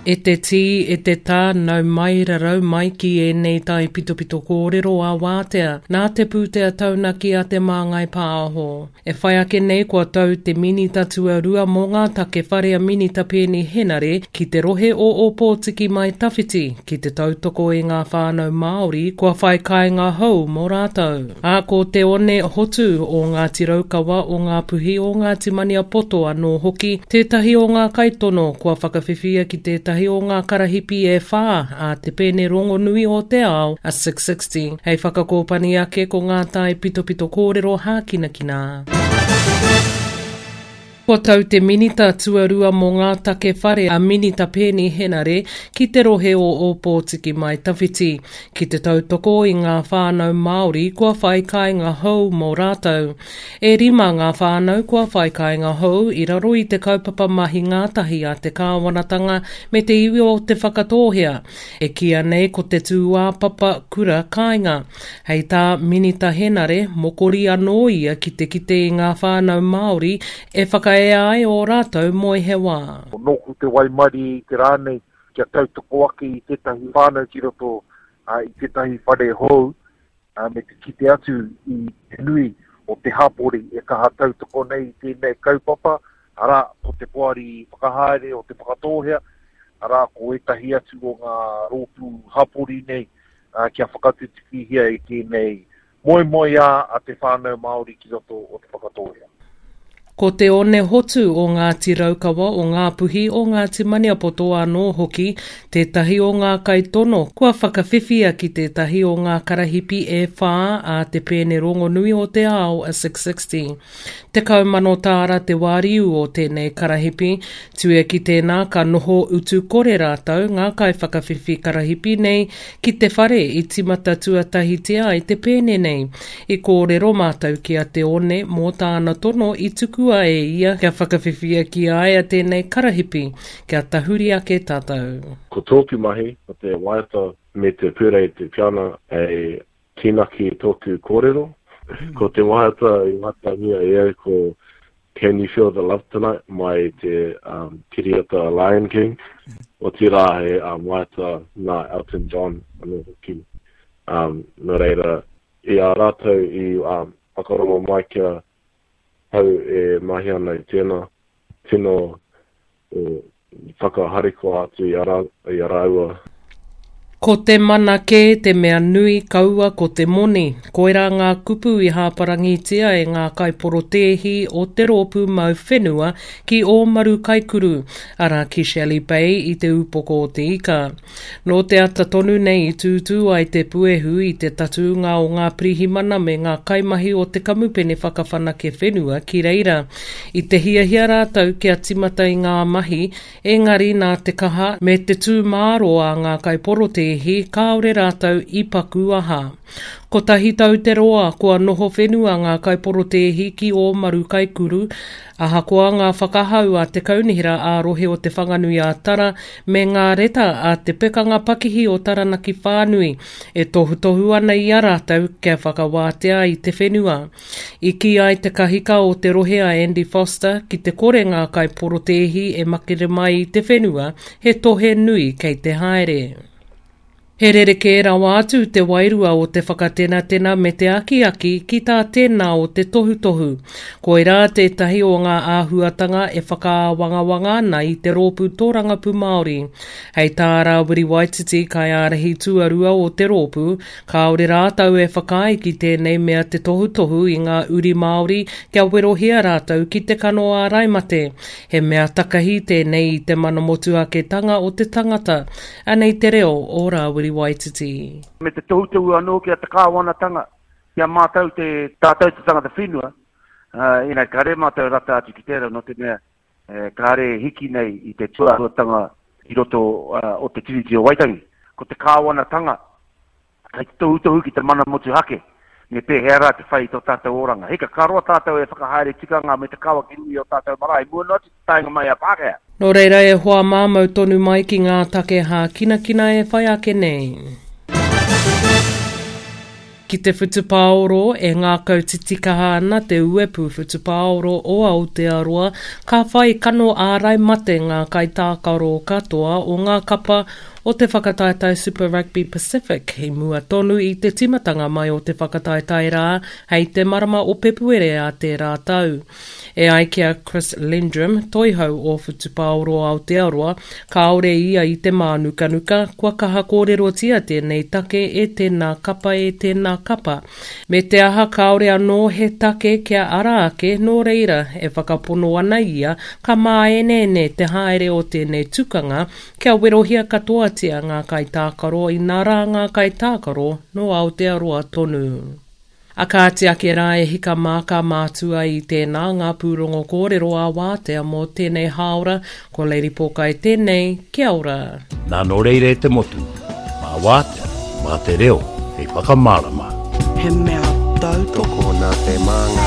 E te tī, e te tā, nau mai, rarau mai ki ēnei taipitopito kōrero ā-wātea, nā te pūtea taunaki a Te Māngai Pāho. E whai ake nei kua tau te Minita Tuarua mō ngā Take Whare a Minita Peeni Henare ki te rohe o Ōpōtiki Mai Tawhiti ki te tautoko i ngā whānau Māori kua whai kāinga hou mō rātou. Ā, ko Te One Hotu o Ngāti Raukawa, o Ngāpuhi, o Ngāti Maniapoto anō hoki tētahi o ngā kaitono kua whakawhiwhia ki tētahi o ngā karahipi e whā a te pēne rongonui o te ao, a Six60, hei whakakōpani ake ko ngā taipitopito kōrero hākinakina. Kua tau te Minita Tuarua mō ngā Take Whare a Minita Peeni Henare ki te rohe o Ōpōtiki Mai Tawhiti ki te tautoko i ngā whānau Māori kua whai kāinga hou mō rātou. E rima ngā whānau kua whai kāinga hou i raro i te kaupapa mahi ngātahi a te kāwanatanga me te iwi o Te Whakatōhea, e kīia nei ko te tūāpapa kura kāinga. Hei tā Minita Henare, mokori anō ia ki te kite i ngā whānau Māori e whakaea ai ō rātou moe he wā. Nōku te waimarie i te rā nei kia tautoko ake i tētahi whānau ki roto i tētahi whare hou me te kite atu i te nui o te hapori e kaha tautoko nei i tēnei kaupapa, arā, ko te poari whakahaere o Te Whakatōhea, arā, ko ētahi atu o ngā rōpū hapori nei kia whakatutukihia i tēnei moemoeā a te whānau Māori ki roto o Te Whakatōhea. Ko Te One Hotu o Ngāti Raukawa, o Ngāpuhi, o Ngāti Maniapoto anō hoki tētahi o ngā kaitono kua whakawhiwhia ki tētahi o ngā karahipi e whā a te pēne rongonui o te ao a Six60. 10,000 tāra te wāriu o tēnei karahipi, tuia ki tēnā ka noho utu kore rātou ngā kaiwhakawhiwhi karahipi nei ki te whare i tīmata tuatahitia ai te pēne nei. I kōrero mātou ki a Te One mō tāna tono i tukua e ia kia whakawhiwhia ki a ia tēnei karahipi, kia tahuri ake tātou. Ko tōku mahi, ko te waiata me te purei te piana hei Kīnaki tōku kōrero. Ko te waiata i waiatangia e au ko Can You Feel The Love Tonight mai te um, kiriata Lion King. Otirā he um, waiata nā Elton John anō hoki. Um, nō reira, i a rātou i um, whakarongo mai kia hau e mahi ana i tēnā, tino whakaharikoa atu i a, rā, i a rāua. Ko te mana kē te mea nui, kaua ko te moni. Koirā ngā kupu i hāparangitia e ngā kaiporotēhi o te rōpū mau whenua ki Ōmaru Kaikuru, arā ki Shelley Bay i Te Ūpoko o Te Ika. Nō te ata tonu nei i tūtū ai te puehu i te tatūnga o ngā pirihimana me ngā kaimahi o te kamupene whakawhanake whenua ki reira. I te hiahia rātou kia timata i ngā mahi, engari nā te kaha me te tū mārō a ngā kaiporotēhi kāore rātou i paku aha. Kotahi tau te roa kua noho whenua ngā kaiporotēhi ki Ōmaru Kaikuru, ahakoa ngā whakahau a te Kaunihera ā-Rohe o Te Whanganui-ā-Tara me ngā reta a te Pekanga Pakihi o Taranaki Whānui e tohutohu ana i a rātou kia whakawātea i te whenua. I kī ai te kahika o te rohe a Andy Foster ki te kore ngā kaiporotēhi e makere mai i te whenua, he tohe nui kei te haere. He rerekē rawa atu te wairua o te whakatenatena me te akiaki ki tā tēnā o te tohutohu. Koirā tētahi o ngā āhuatanga e whakaāwangawanga ana i te Rōpū Tōrangapū Māori. Hei tā Rāwiri Waititi, kaiārahi tuarua o te rōpū, kāore rātou e whakaae ki tēnei mea te tohutohu i ngā uri Māori kia werohia rātou ki te kano ārai mate. He mea takahi tēnei i te mana motuhaketanga o te tangata. Anei te reo o Rāwiri Waititi. Me te tohutohu anō ki a te kāwanatanga, ki a mātou te, tātou te tangata whenua, ina kāre mātou rata atu ki tērā nō te mea kāre e hiki nei i te tūāhuatanga i roto o te Tiriti o Waitangi. Ko te kāwanatanga Kei te tohutohu ki te mana motuhake, me pēhea rā te whai i tō tātou oranga. Hika, ka roa tātou e whakahaere tikanga me te kawa ki runga i ō tātou marae, i mua noa atu te taenga mai a Pākehā. Nō reira e hoa mā mau tonu mai ki ngā take hākinakina e whai ake nei. Ki te whutupaoro, e ngākau titikaha ana te uepu whutupaoro o Aotearoa, ka whai kano ārai mate ngā kaitākaro katoa o ngā kapa o te whakataetae Super Rugby Pacific i mua tonu i te tīmatanga mai o te whakataetae rā hei te marama o Pepuere a tērā tau. E ai ki a Chris Lendrum, toihau o Whutupaoro Aotearoa, kāore ia i te mānukanuka, kua kaha kōrerotia tēnei take e tēnā kapa e tēnā kapa. Me te aha kāore anō he take kia ara ake, nō reira, e whakapono ana ia ka māeneene te haere o tēnei tukanga kia werohia katoatia ngā kaitākaro inā rā ngā kaitākaro nō Aotearoa tonu. A kāti ake rā e hika mā ka mātua i tēnā ngā pūrongo kōrero ā wātea mō tēnei hāora, ko Lady Pōkai tēnei, kia ora. Nā nō reira e te motu, mā wātea, mā te reo hei whakamārama. He mea tautoko. Tokona te māngai.